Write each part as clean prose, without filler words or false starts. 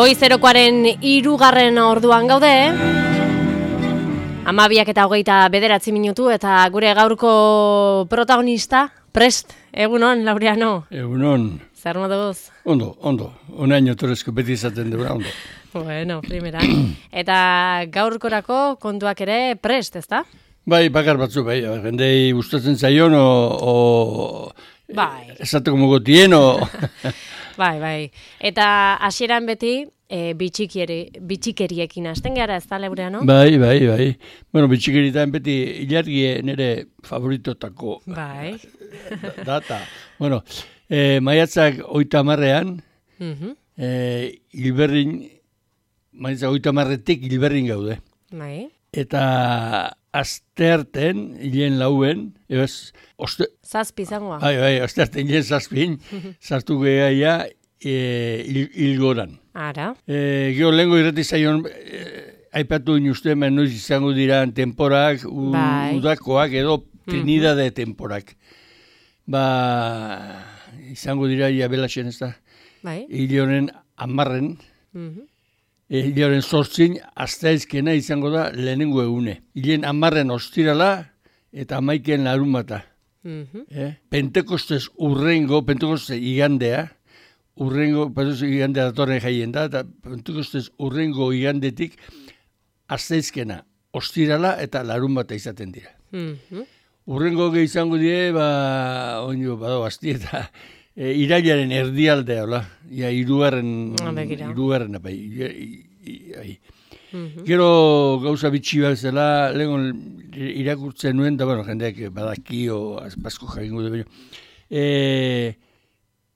Goizerokoaren 3. orduan gaude. 12:29 minutu eta gure gaurko protagonista, prest, egunon, Laureano. Egunon. Zer moduz? Ondo. Onaino torrezko beti izaten dura, ondo. Bueno, primera. Eta gaurkorako kontuak ere prest, ezta? Bai, bakar batzu, bai. Jendei gustatzen zaion, bai. Esateko mogotien, Bai. Eta hasieran beti bitxikeriekin hasten gara, ez da, Laureano? Bai. Bueno, bitxikeritan beti ilargie nire favoritotako Bai. data. Bueno, maiatzak 30ean, hilberrin, maiatzak 30etik hilberrin gaude. Bai. Eta astearten, hilen lauen, Zazpi zangoa. Bai, astearten hilen zazpin, sartu gehaia hilgoran. Ara. Gero lehenko irrati zaion, aipatu inuzte, noiz izango dira temporak, udakoak edo trinidade temporak. Izango dira jabelaxen ez da. Bai. Hile honen 10, hile honen 8, asteazkena izango da lehenengo egune. Hilen 10 ostirala eta 11 larunbata. Pentekostez Pentekoste igandea, igandea datorren jaien da, eta Pentekostez urrengo igandetik asteazkena ostirala eta larunbata izaten dira. Urrengo izango die, bado basti eta irailaren erdialdea, hola, hirugarren bai. Gero gauza bitxi bat zela, lehen irakurtzen nuen, da, jendeak badakio, azpazko jakingo du.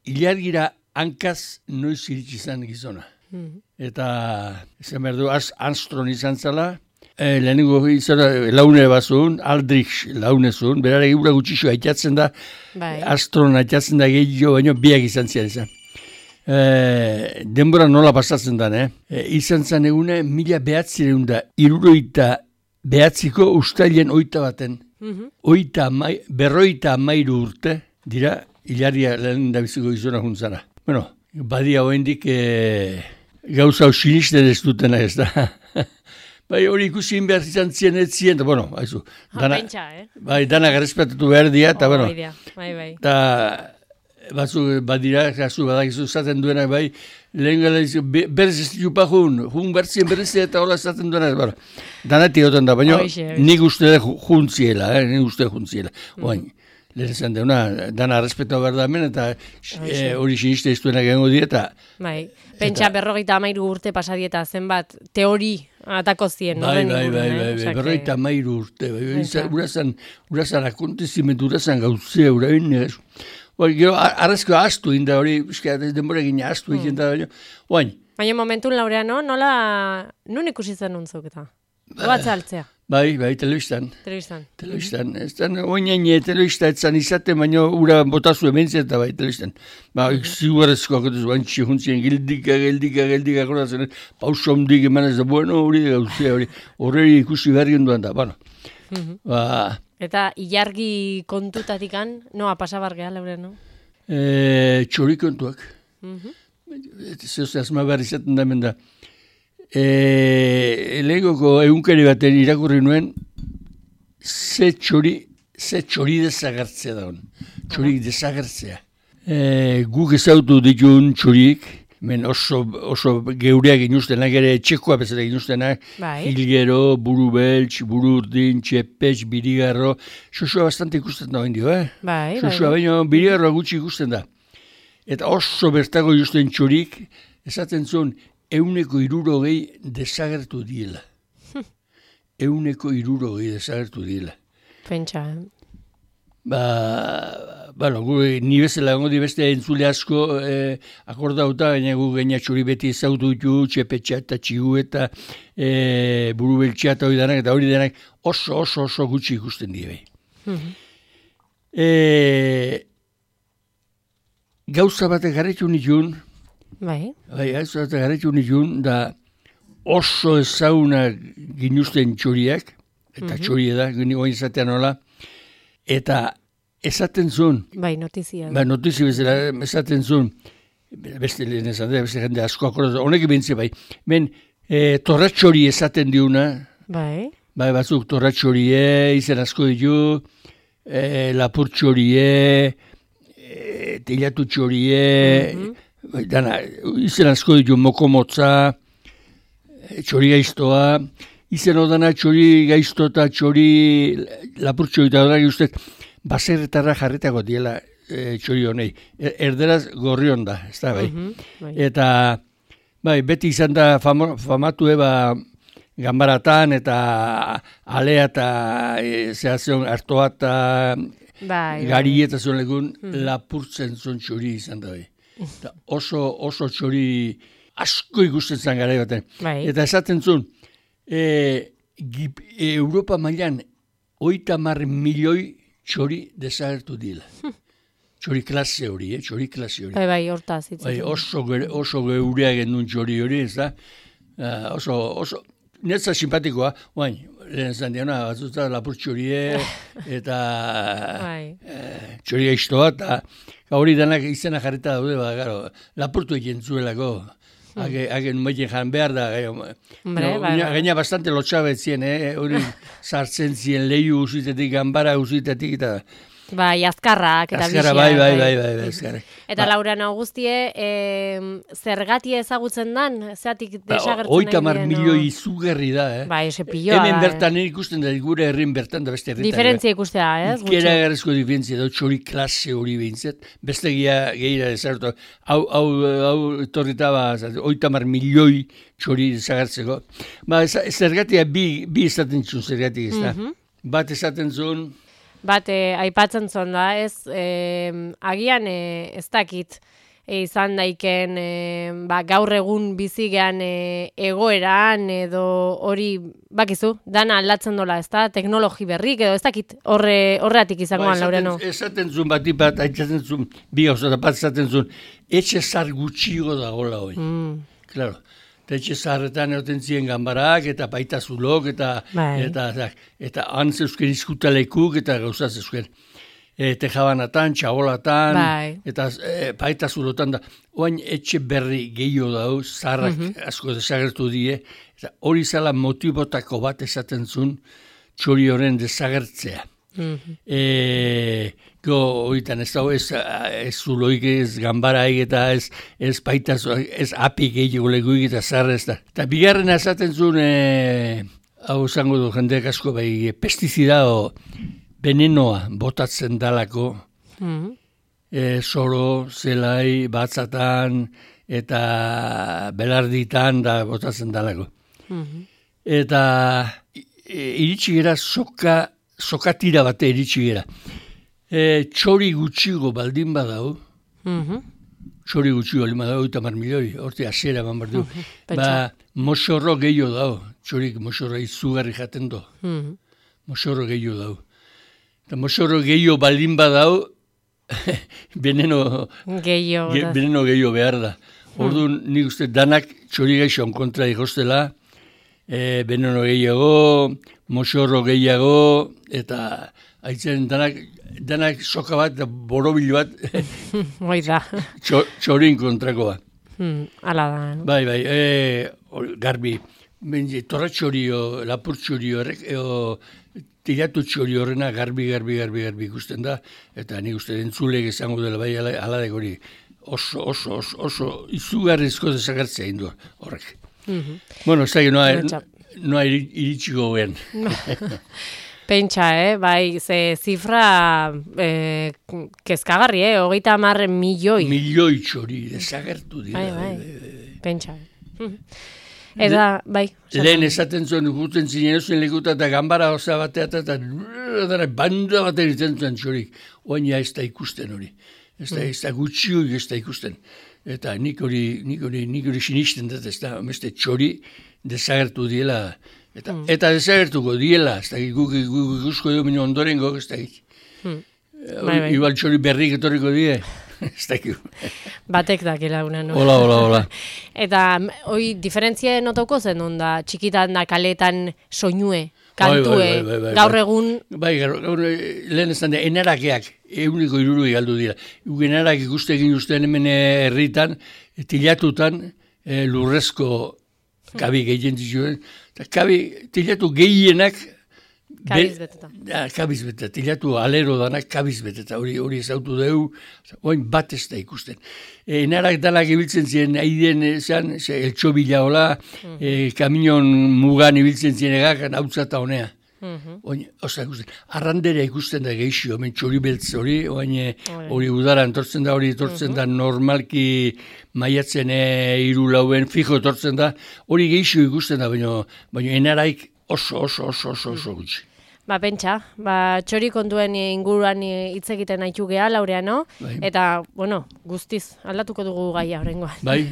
Ilargira hankaz noiz iritsi izan gizona. Eta, esan behar du, Armstrong izan zela, lehenengo laune bazun, Aldrich laune zuen, berare gura gutxixo aitatzen da, Armstrong aitatzen da gehiago, baina biak izan zian izan. Denbora nola pasatzen da, izan zen egune 1969ko ustailen 21. Berroita 13 urte dira, hilaria lehen da biziko gizona juntzara. Bueno, badia hoendik gauza sinisten ez dutena ez da. Bai, hori ikusin behar izan zien ez zien, bueno, haizu. Bai, dana garrespetatu behar dira, eta bueno. Bai. Eta batzuk badira, badakizu zaten duena, bai, lehen gala izu, berez ez ditu jun bertzien berezia eta hola zaten duena, danati goten da, baina nik uste juntziela, Oain, lehen esan deuna, dana respetua behar da hemen, eta hori siniste ez duena gengo dira, eta... Bai, pentsa 53 urte pasadieta zenbat teori atako zien, bai, 53 urte, urazan akontezimentu, urazan gauzea, urain, gero, arrezko astu inda hori, denbora egin astu egin da, baina momentun, Laureano, nun ikusi zen nuntzuk eta? Goatza altzea? Bai, telebistan. Telebistan. Oinain telebista etzan izaten, baina ura botazu ementzia eta bai, telebistan. Ziguarezko akotuz, bantxi juntzien, geldika, akordatzen, pauso ondik emanez da, bueno, hori da gauzea, horreri ikusi behar genduan da, bueno. Eta ilargi kontutatikan, noa pasabar geha, Laureano? Txori kontuak. Zeoz, azma behar izaten da hemen da. Lehengoko egunkari baten irakurri nuen, ze txori desagertzea da hon. Txorik desagertzea. Guk ezautu ditun txorik, men oso geureak inuztenak ere, txekoa bezala inuztenak, hilgero, buru beltx, buru urdin, txepetx, birigarro, xoxoa bastante ikusten da hendio, Xoxoa, baina birigarroa gutxi ikusten da. Eta oso bertago ikusten txorik, esaten zuen, 160 desagertu diela. 160 desagertu diela. Pentsa, ni bezala gongo di beste entzule asko akordauta, baina gu gaina txori beti ezautu ditu, txepetxa eta txigu eta buru beltxa eta hori denak, eta hori denak oso gutxi ikusten die. Gauza batek garretu nituen, gauza batek garretu nituen, da oso ezaguna ginuzten txoriak, eta txori da, guen izatean hola, eta esaten zuen. Notizia. Notizia bezala esaten zuen. beste lehen esan da, beste jende asko akordatu, honek bintze bai. Ben, torratxori esaten diuna, Bai. bai batzuk torratxorie, izen asko ditu, lapurtxorie, telatutxorie, dana, izen asko ditu, mokomotza, txori gaiztoa, izen odana txori gaizto eta txori lapurtxori eta odara guztet, baserretarra jarritako diela txori honei. Erderaz gorrion da, ez da, bai. Eta, bai, beti izan da famatu eba ganbaratan eta alea eta zehazion hartoa eta gari eta zuen legun lapurtzen zuen txori izan da, bai. Oso txori asko ikusten zen gara baten. Eta esaten zuen, Europa mailan 30 milioi txori desagertu dila. Txori klase hori, txori klase hori. Bai, hortaz. Oso geurea gendun txori hori, ez da? Oso, netza simpatikoa, oain, lehen zan diana, batzuta lapur txorie, eta txori gaiztoa, eta hori danak izena jarrita daude, gero, lapurtu egin zuelako. Hagen maiten jan behar da. Gaina bastante lotxabetzien, hori sartzen zien lehiu usitetik, ganbara usitetik, eta... Bai, azkarrak eta bizia. Bai, azkarrak. Eta Laura Augustie, zergatia ezagutzen dan? Zeatik desagertzen nahi diren? 30 milioi izugarri da, Bai, ese pilloa da. Hemen bertan ikusten da, gure herrin bertan da beste herritan. Diferentzia ikustea, ez? Ikera garrezko diferentzia da, txori klase hori behintzet. Beste gehiara desartu. Hau torritaba, 30 milioi txori desagertzeko. Zergatia bi esaten zuen zergatik ez da. Bat esaten zuen... Bat, aipatzen zon da, ez, agian ez dakit izan daiken gaur egun bizigean egoeran edo hori, bakizu, dana aldatzen dola, ez da, teknologi berrik edo ez dakit horreatik izangoan, Laureno. Esaten zuen bat, aitzaten zuen, bi gauza da bat esaten zuen, etxe zar gutxigo da gola hori. Claro. Eta etxe zaharretan egoten ziren ganbarak, eta baita zulok, eta han zeuzken izkutalekuk, eta gauzat zeuzken. Tejabanatan, txabolatan, eta baita zulotan da. Oain etxe berri gehiago dau, zaharrak asko desagertu die, eta hori zala motibotako bat esaten zuen txori horren desagertzea. Oitan ez dago, ez zuloik, ez ganbaraik eta ez baita, ez apik egiteko leguik eta zarra ez da. Eta bigarren esaten zuen, hau zango du jendeak asko, bai, pestizida o venenoa botatzen dalako, soro, zelai, batzatan eta belarditan da botatzen dalako. Eta iritsi gera sokatira bate iritsi gera. Txori gutxigo baldin badau, txori gutxigo baldin badau, 30 milioi, horti hasiera eman behar du. Moxorro gehiago dau, txorik moxorro izugarri jaten do. Moxorro gehiago dau. Eta moxorro gehiago baldin badau, veneno gehiago behar da. Orduan nik uste danak txori gaixoan kontra ikostela, veneno gehiago, moxorro gehiago, eta haitzen danak soka bat, borobil bat, txorin kontrakoa. Ala da. Bai, garbi, torra txorio, lapur txorio, tiratu txorio horrena garbi ikusten da, eta nik uste entzulek esango dela bai aladek hori oso izugarrizko desagertzea indu horrek. Bueno, ez da, noa iritsiko guen. Pentsa, bai, ze zifra kezkagarri, 30 milioi. Milioi txori, desagertu dira. Bai, pentsa. Eta, bai. Lehen esaten zuen, guten zinen zuen lekuta eta gambara oza batea eta banda bat eritzen zuen txorik. Oaina ez da ikusten hori. Ez da gutxioik ez da ikusten. Eta nik hori sinisten dut, ez da, txori desagertu diela. Eta desagertuko diela, ez da, guk ikusko edo minu ondorengo, ez da, igual txori berrik etorriko die, ez da, batek dakela una, no? Hola. Eta, hoi, diferentzia notoko zen, onda, txikitan da kaletan soinue? kantue, gaur egun... Bai, gaur lehen esan da, enarakeak, 160 galdu dira. Enarak ikuste egin ustean hemen herritan, tilatutan, lurrezko kabi gehien zituen. Tilatu gehienak... Kabiz beteta. Kabiz beteta, tilatu alero danak kabiz beteta, hori ezautu dugu, oin bat ez da ikusten. Enarak danak ibiltzen ziren, aiden esan, eltsobila hola, kamion mugan ibiltzen ziren egak, hautza eta honea. Arrandera ikusten da geixio, hemen txori beltz hori, hori udara entortzen da normalki maiatzen 3-4 fijo etortzen da, hori geixio ikusten da, baina enaraik oso gutxi. Pentsa, txori kontuen inguruan hitz egiten haitu geha, Laureano, eta, guztiz, aldatuko dugu gaia horrengoan. Bai.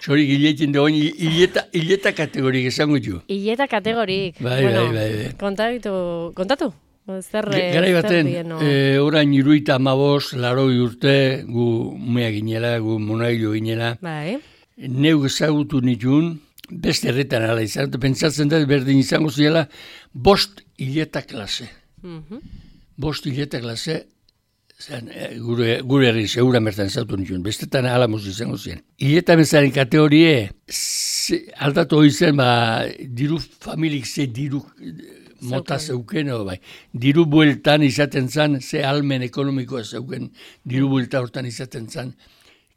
Txori gileetin da, hileta kategorik esango du. Hileta kategorik. Bai. Kontatu? Garai baten, orain 75, 80 urte, gu umea ginela, gu monailu ginela. Bai. Neuk ezagutu nituen, beste herretan ala izan, pentsatzen da berdin izango ziela, 5 hileta klase. 5 hileta klase, gure herri segura mertan zautu nituen, bestetan alamoz izango ziren. Hileta bezaren kategorie, aldatu hori zen, diru familik ze diru mota zeuken, diru bueltan izaten zan, ze almen ekonomikoa zeuken, diru buelta hortan izaten zan,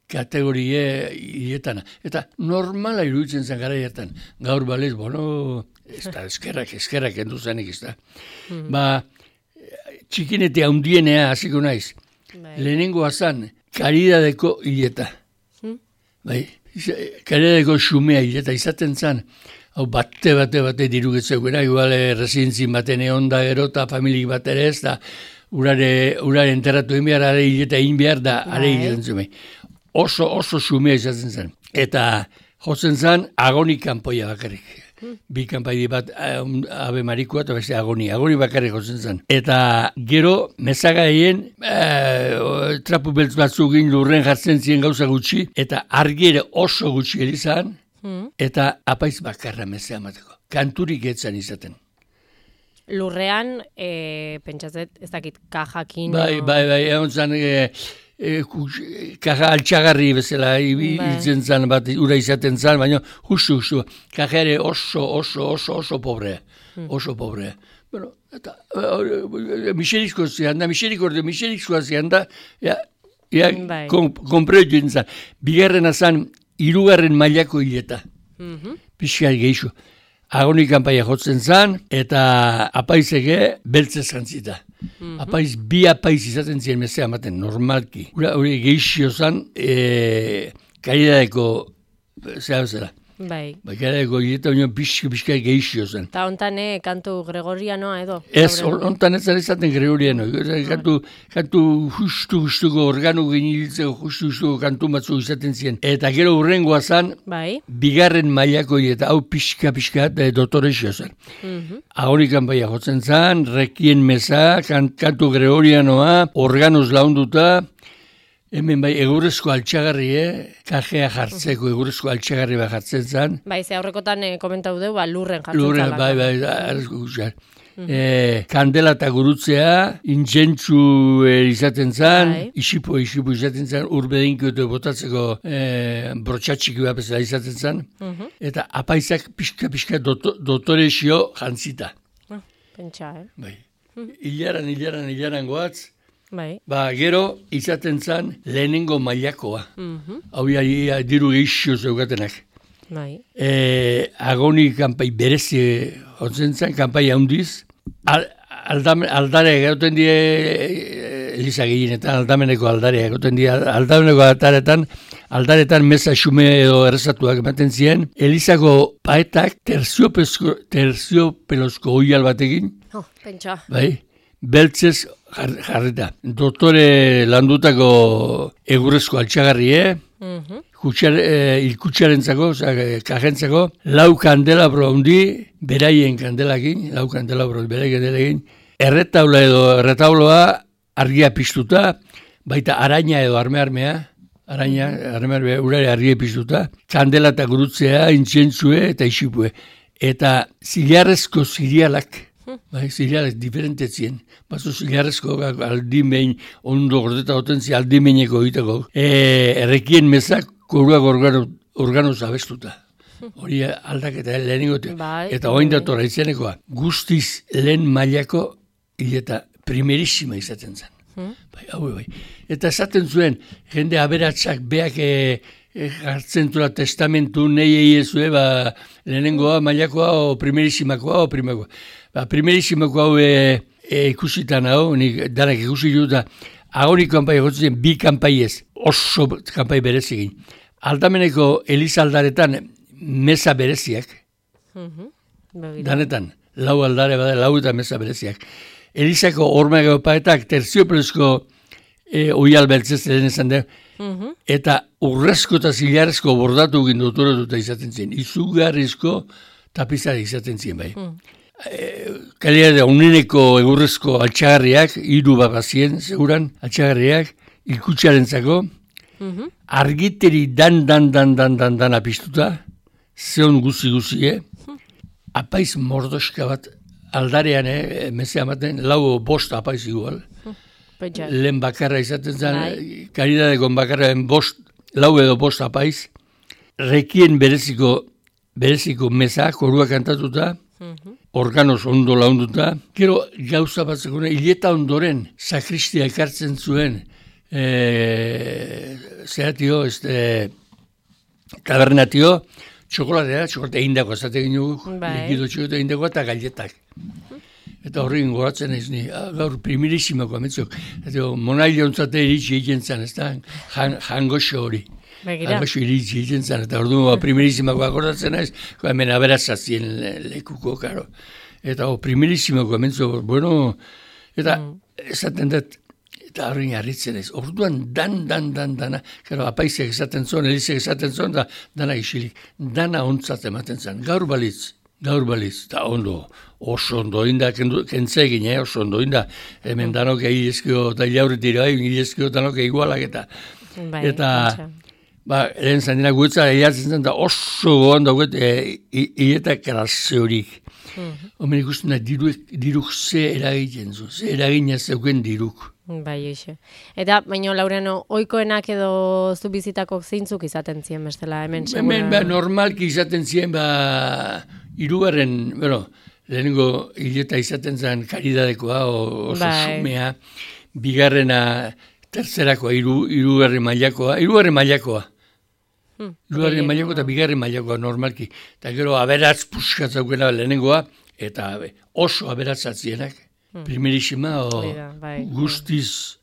kategorie hiletana. Eta normala iruditzen zen gara hartan. Gaur balez, ez da, eskerrak endu zanik, ez da. Txikinete handienea hasiko naiz. Lehenengoa zan, karidadeko hileta. Karidadeko xumea hileta izaten zan, hau bate dirugetzeuera, igual residentzin baten egon da gero eta familik bat ere ez da, urare enterratu egin behar, are hileta egin behar da, are egiten zuen. Oso xumea izaten zen. Eta jotzen zen agoni kanpoia bakarrik. Bi kanpai bat abe marikoa eta beste agoni bakarrik jotzen zen. Eta gero mezagaien trapu beltz batzugin lurren jartzen ziren gauza gutxi, eta argiere oso gutxi erizan, eta apaiz bakarra mezea mateko. Kanturik etzan izaten. Lurrean, pentsatzet, ez dakit kajakin... Bai, egon zen... kaja altxagarri bezala itzen zan bat ura izaten zan, baina justu, kaja ere oso pobrea. Bueno, eta miserikoa zian da, konpreu zan. Bigarrena zan, 3. mailako hileta. Pixka geixo. Agoni kanpaia jotzen zan, eta apaizeke beltze zantzita. Bi apaiz izaten ziren mezea ematen, normalki. Hori geixio zan, karidadeko, zera. Bai. Karidadeko hileta union pixka geixio zan. Eta ontan kantu gregorianoa edo? Ez, ontan ez zara izaten gregoriano. Kantu justuko organu geniltzeko justuko kantu batzu izaten ziren. Eta gero hurrengoa zan, bigarren mailako hileta, hau pixka dotorexio zan. Agonikan baia jotzen zan, rekien meza, kantu gregorianoa, organuz launduta, hemen egurrezko altxagarri, kajea jartzeko egurrezko altxagarri bat jartzen zan. Ze aurrekotan komentau du, lurren jartzen zan. Arrezko guztiak. Kandela eta gurutzea, intzentzu izaten zan, isipo izaten zan, urbedinko eta botatzeko brotxatxiki bat bezala izaten zan, eta apaizak pixka dotorexio jantzita. Pentsa, Ilaran goatz, gero izaten zan lehenengo mailakoa. Hau diru geixio zeugatenak. Agoni kanpai berezi hotzen zan, kanpai handiz. Aldare egoten die Eliza gehienetan, aldameneko aldare egoten die. Aldameneko aldaretan meza xume edo errezatuak ematen ziren. Elizako paetak terziopelozko oial batekin. Pentsa. Beltzez jarrita. Doktore landutako egurrezko altxagarrie, ilkutxarentzako, kajentzako, 4 kandelabro handi, beraien kandelakin, 4 kandelabro beraien kandelakin, erretauloa argia piztuta, baita araña edo armea, urare argia piztuta, kandela eta gurutzea, intzentzue eta isipue. eta zilarrezko zirialak, bai, zirialak diferentetzien, bazo zilarrezko aldimein ondo gordeta otentzia aldimeineko egiteko, errekien mezak koruak organoz abestuta. Hori aldaketa lehenengote. Eta oain datora izenekoa. Guztiz lehen mailako hileta primerissima izaten zen. Bai. Eta esaten zuen, jende aberatsak beak jartzen zula testamentu nahi ezue, lehenengoa mailakoa o primerissimakoa o primakoa. Primerissimakoa hau ikusitan hau, nik danak ikusi dut da, agonik kanpai egotzen bi kanpai ez, oso kanpai berezigin. Aldameneko elizaldaretan mesa bereziak, danetan, lau aldare bada, lau eta mesa bereziak. Elizako ormegaopaetak terziopelezko oial beltzez lehen esan da, eta urrezko eta zilarrezko bordatu gindotoratuta izaten zien, izugarrizko tapizari izaten zien bai. Kalidade uneneko egurrezko altxagarriak, 3 bagazien, seguran, altxagarriak, ikutxarentzako, argiteri dan apistuta, zeon guzi, apaiz mordoska bat, aldarean, mezea maten, 4-5 apaiz igual. Lehen bakarra izaten zen, karidadeko bakarra 4 edo 5 apaiz, rekien bereziko meza, korua kantatuta, organoz ondo launduta, gero gauza bat zekuna, hileta ondoren, sakristia ekartzen zuen, zeratio, tabernatio, txokolatea egindako, esaten ginen likido txokolatea egindako eta galletak. Eta horrekin goratzen ez ni, gaur primerisimako ametzok. Monaile ontzate iritsi egiten zen, ez da, jangoxo hori. Jangoxo iritsi egiten zen, eta orduan primerisimako goratzen ez, hemen aberatzazien lekuko, karo. Eta primerisimako ametzok, bueno, eta esaten dut, eta horrein harritzen ez. Orduan dana, karo, apaizek esaten zuen, elizek esaten zuen, da dana isilik. Dana ontzat ematen zen, gaur balitz, eta ondo, oso ondo inda, kentzegin, oso ondo inda, hemen danok egilezkio, eta ilaurritira, egilezkio danok egualak eta, lehen zandina guetza, egiatzen zen, da oso gohan dauget, hiletak karazze horik. Homen ikusten da, diruk ze eragiten zu, ze eragina zeuken diruk. Bai, eixe. Eta, baina, Laureano, oikoenak edo zu bizitako zeintzuk izaten ziren bestela, hemen segura? Hemen, normalki izaten ziren, hirugarren, lehenengo hileta izaten zen karidadekoa, oso sumea, bigarrena, tertzerakoa, hirugarren mailakoa, eta bigarren mailakoa normalki. Eta gero aberatz puskatzakena lehenengoa, eta oso aberatzatzienak. Primerissima guztiz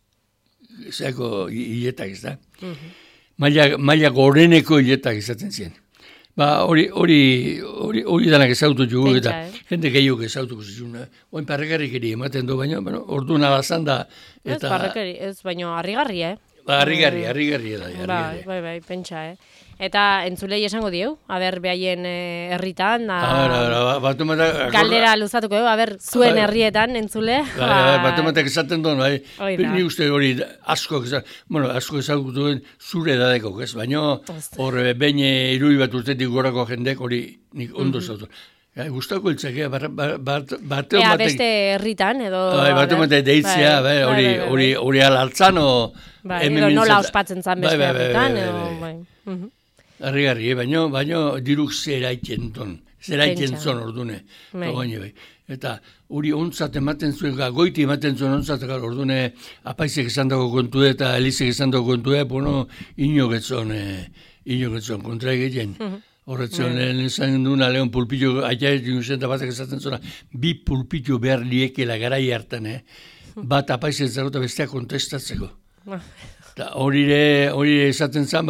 zeako hiletak ez da. Maila goreneko hiletak izaten ziren. Hori danak ezautu jugu eta jende gehiok ezautuko zizuna. Oin parrekarrikeri ematen du, baina orduan alazan da. Ez parrekari, ez baina harrigarri, Harrigarri da. Bai, pentsa, Eta entzulei esango dieu, aber behaien herritan, galdera luzatuko dugu, aber zuen herrietan entzule. Batematek esaten duen, ni uste hori asko ezagutu duen zure edadeko, ez? Baina hor behin irui bat urtetik gorako jendek hori nik ondo zautu. Gustako iltzakea, bateo batek... beste herritan, edo... Bateo batek deitzea, hori alaltzan, edo nola ospatzen zan beste herritan, edo... Harrigarri, baina diruk zeraiten zon ordune. Eta hori ontzat ematen zuen, goiti ematen zuen ontzat, ordune apaizek esan dago kontu eta elizek esan dago kontu, inogetzon kontra egiten. Horretzen lehen esan duna lehen pulpillo, aiaet inozen da batak esaten zuen, 2 pulpillo behar liekela garai hartan, bat apaizek zarota bestea kontestatzeko. Hori esaten zen,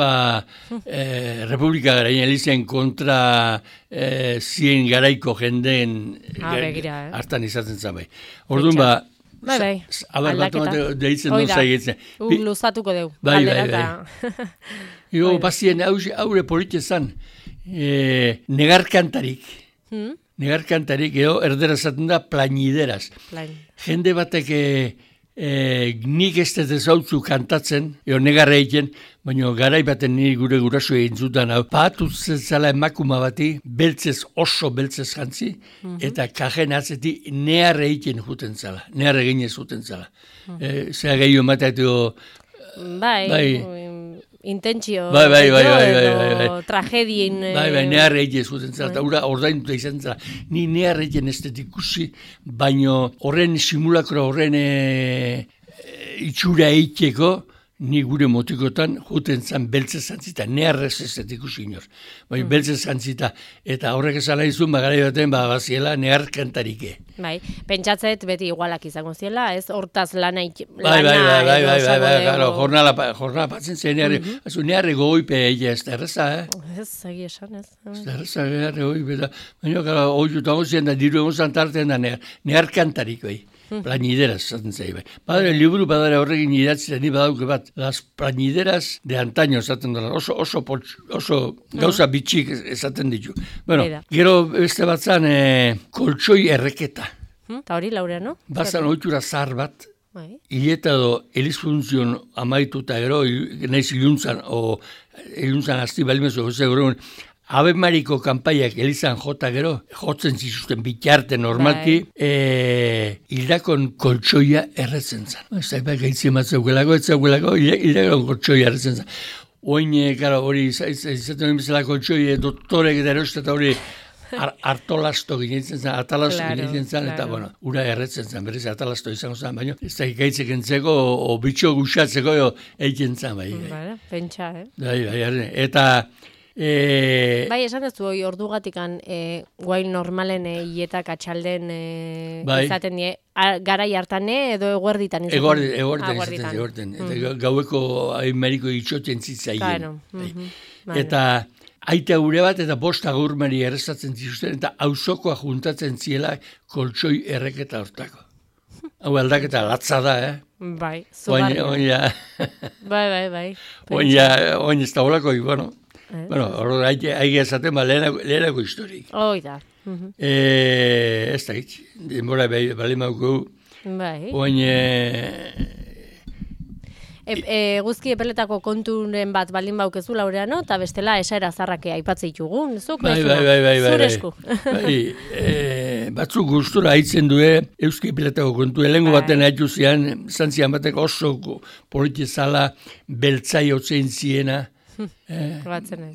Republika garaien elizien kontra zien garaiko jendeen hartan izaten zen bai. Orduan aldaketa. Deitzen duen zaigetzen. Luzatuko dugu. Bai. Bazien haure politia zen, negarkantarik. Negarkantarik, edo erdera esaten da plañideraz. Jende batek nik ez dut ezautzu kantatzen, negarra egiten, baina garai baten niri gure guraso egin zutan hau. Pahatu zela emakuma bati, oso beltzez jantzi, eta kajen atzeti neharre egiten juten zela, neharre ginez juten zela. Zea gehiago emateatu... Intentzio, tragedien... neharre egiten zuten zela, eta ordainuta izan zela. Ni neharre egiten ez dut ikusi, baina horren simulakro, horren itxura eiteko, ni gure motikotan juten zan beltze zantzita, neharrez ez dut ikusi inor. Baina beltze zantzita, eta horrek esala izun, bagara baten, baziela nehar kantarike. Bai, pentsatzet beti igualak izango ziela, ez hortaz lana jornala patzen zen neharre goipe egia ez da erreza, Ez, egi esan ez. Ez da erreza, neharre goipe, baina hori jutango ziren da, diru egon zantarten da nehar kantariko, Plañideras, zaten zei, bai. Badare, liburu badare horrekin idatzita, ni badauke bat, las plañideras de antaño, zaten dara, oso gauza bitxik esaten ditu. Bueno, gero beste batzan, koltsoi erreketa. Eta hori, Laureano? Bazan oitura zahar bat, hileta edo elizfuntzion amaituta gero, naiz iluntzan, o iluntzan asti balimezu, Ave Mariko kanpaiak elizan jota gero, jotzen zizuten bitarte normalki, hildakon koltsoia erretzen zan. Zaipak gaitzien bat zeugelako, hildakon koltsoia erretzen zan. Oin, hori izaten hori bezala koltsoi doktorek eta eroste eta hori hartolasto ginetzen zan, atalasto ginetzen zan, eta ura erretzen zan, berriz atalasto izango zan, baina ez da gaitzek entzeko, o bitxo guxatzeko egiten zan, bai. Pentsa, Eta... esan ez du hori ordugatikan guain normalen hietak atxalden izaten die, garai hartane edo eguerditan izaten? Eguerditan. Eta gaueko Ameriko itxoten zitzaien. Eta aita gure bat eta bost agurmari errezatzen zituzten eta auzokoa juntatzen ziela koltsoi erreketa hortako. Hau aldaketa latza da, Bai, zugarria. Bai. Oin ez da holako, Bueno, hori aige esaten, lehenako historik. Da. Ez da hitz, denbora bali mauko. Bai. Oin... Guzki epeletako konturen bat baldin baukezu, Laureano, eta bestela esaera zarrake aipatzea ditugun, zuk? Bai. Zure esku. Batzuk gustura haitzen due, euski epeletako kontu, elengo baten haitu zian, zantzian batek oso politizala beltzai otzein ziena,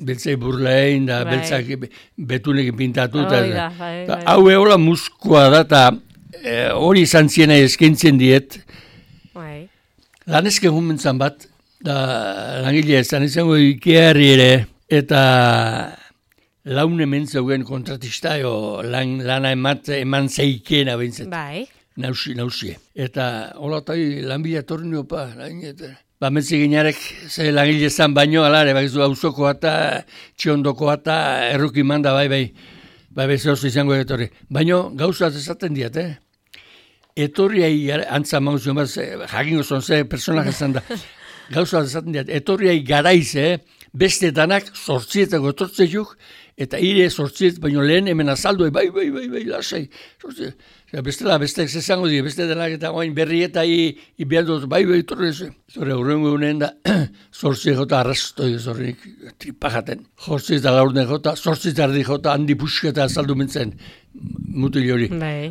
beltzai burlein, da beltzak betunekin pintatu. Hau eola muskoa da, eta hori izan ziena eskaintzen diet. Lanezken jumentzan bat, da langilea ezan izango ikearri ere, eta laune mentzeugen kontratista, lana eman zeikena bintzet. Bai. Nausie. Eta hola eta lanbila torniopa, Metzi ginarek ze langile zan baino, alare, bakizu auzokoa eta txiondokoa eta erruki manda, bai, zehozu izango etorri. Baino, gauzat esaten diat, Etorriai, antza mauzio, jakingo zon ze personaje zan da, gauzat esaten diat, etorriai garaiz, beste danak sortzietako etortzejuk, eta ire sortziet, baino lehen hemen azaldu, bai, lasai, sortziet. Bestela, besteak zezango dira, beste denak eta oain berri eta ibialdot, bai, torre ez. Zore, horrengo egunen da, zortzi jota arrastoi zorrik tripajaten. Jortzi eta laurden jota, zortzi eta ardi jota, handi pusketa azaldu mentzen, mutil hori.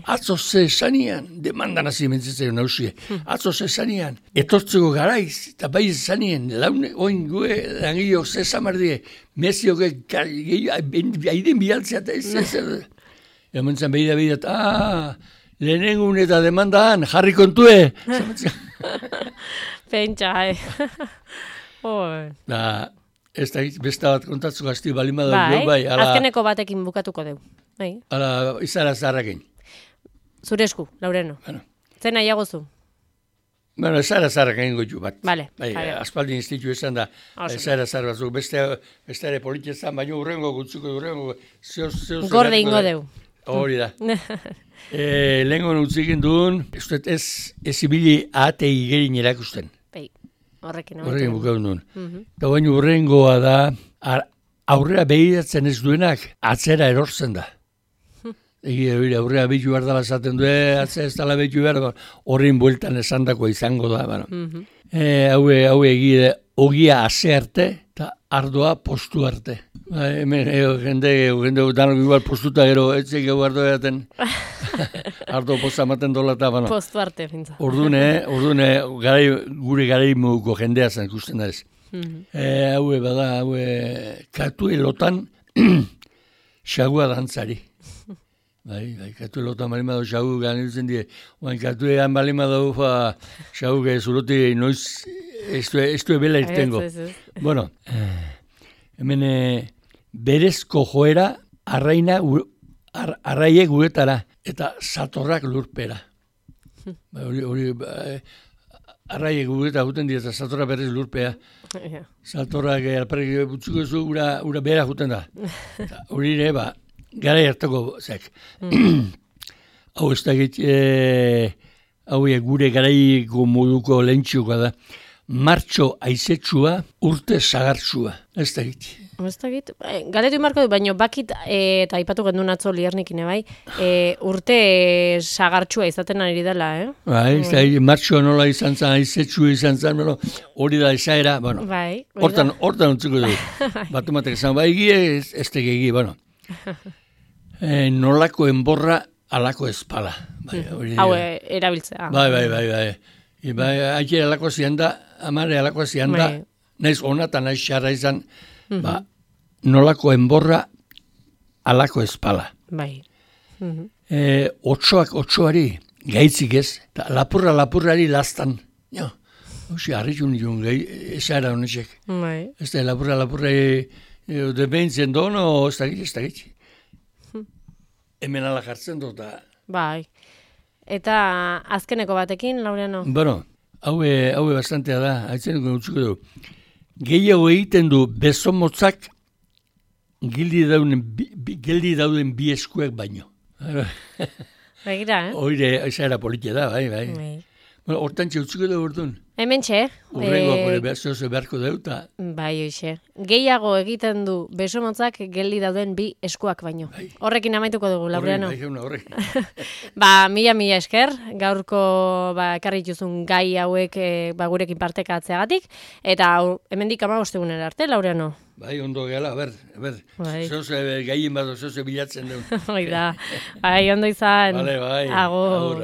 Atzo ze esanian, demandan hasi mentzen nausie. Atzo ze esanian, etortzeko garaiz, eta bai esanien, laune, oin gue, langilok ze zamardie, mezioke, aiden bialtzea eta ez. Ementzen behida, lehenengun eta demandan, jarri kontue. Pentsa, Da, ez da, besta bat kontatzu gazti balima dugu, bai. Azkeneko batekin bukatuko dugu. Ala, izara zarrakin. Zure esku, Laureano. Zen nahiago zu? Bueno, izara zarrakin goitu bat. Vale. Aspaldin institu esan da, izara zarrakin. Beste ere politizan, baina urrengo gutzuko, Gorde ingo deu. Hori da. Lehenko utzikin duen, ez ibili ahate igerin erakusten. Horrekin bukaun duen. Eta baina urrengoa da, aurrera behiratzen ez duenak, atzera erortzen da. Aurrea behitu behar dela esaten du, atzea ez dela behitu behar, horrein bueltan esandako izango da. Bueno. Hau egide, ogia ase arte, eta ardoa postu arte. Hemen jende danok igual postuta gero, etxek gau ardoa jaten, ardo posta maten dola eta, bueno. Postu arte, fintza. Ordune, gure garaimuko jendea zen ikusten da ez. Hau katue lotan xagua dantzari. Bai, katue lotan balima dago xagu ganitzen die. Oain katuean balima dago xagu zulote noiz ez du ebela irtengo. Bueno, hemen berezko joera arraiek guretara eta satorrak lurpera. Hori arraiek guretara guten dira eta satorra berez lurpea. Satorrak alperrik butzuko zu ura behera guten da. Hori ere, gara hartako zek. Hau ez da hau gure garaiko moduko lehentxuko da. Martxo aizetsua, urte sagartsua. Ez da git. Ez da git. Galetu inbarko du, baina bakit, eta aipatu gendun atzo liernikin, bai, urte sagartsua izaten ari dela, Bai, ez da git, martxo nola izan zen, aizetsua izan zen, hori da esaera, bueno. Bai. Hortan ontzuko du. Batumatek esan, bai, egie, ez da gigi, bueno. Nolako enborra, alako espala. Hau, erabiltzea. Bai. Aike alako zianda, amare alako zianda, naiz onatan naiz xarra izan, nolako enborra, alako espala. Bai. Otsoari, gaitzik ez, eta lapurrari lastan. Hoxe, harritxun nion, esara honetxek. Bai. Ez da, lapurrari, debentzen dono, ez da gitzi. Hemen ala jartzen dut. Bai. Eta azkeneko batekin, Laureano? Bueno, hau bastantea da, haitzeneko utzuko du. Gehiago egiten du besomotzak geldi dauden bi eskuek baino. Begira, Oire, esaera politia da, bai. Bueno, hortan utzuko du orduan. Hemen txe. Urrengoa beharko deuta. Bai, oixe. Gehiago egiten du besomotzak geldi dauden bi eskuak baino. Horrekin amaituko dugu, Laureano. Horrekin. Mila esker, gaurko ekarri dituzun gai hauek gurekin partekatzeagatik, eta hemendik 15 egunera arte, Laureano. Bai, ondo gehala, ber. Zoze gaien bat, zoze bilatzen dugu. Bai, ondo izan. Bai. Agur.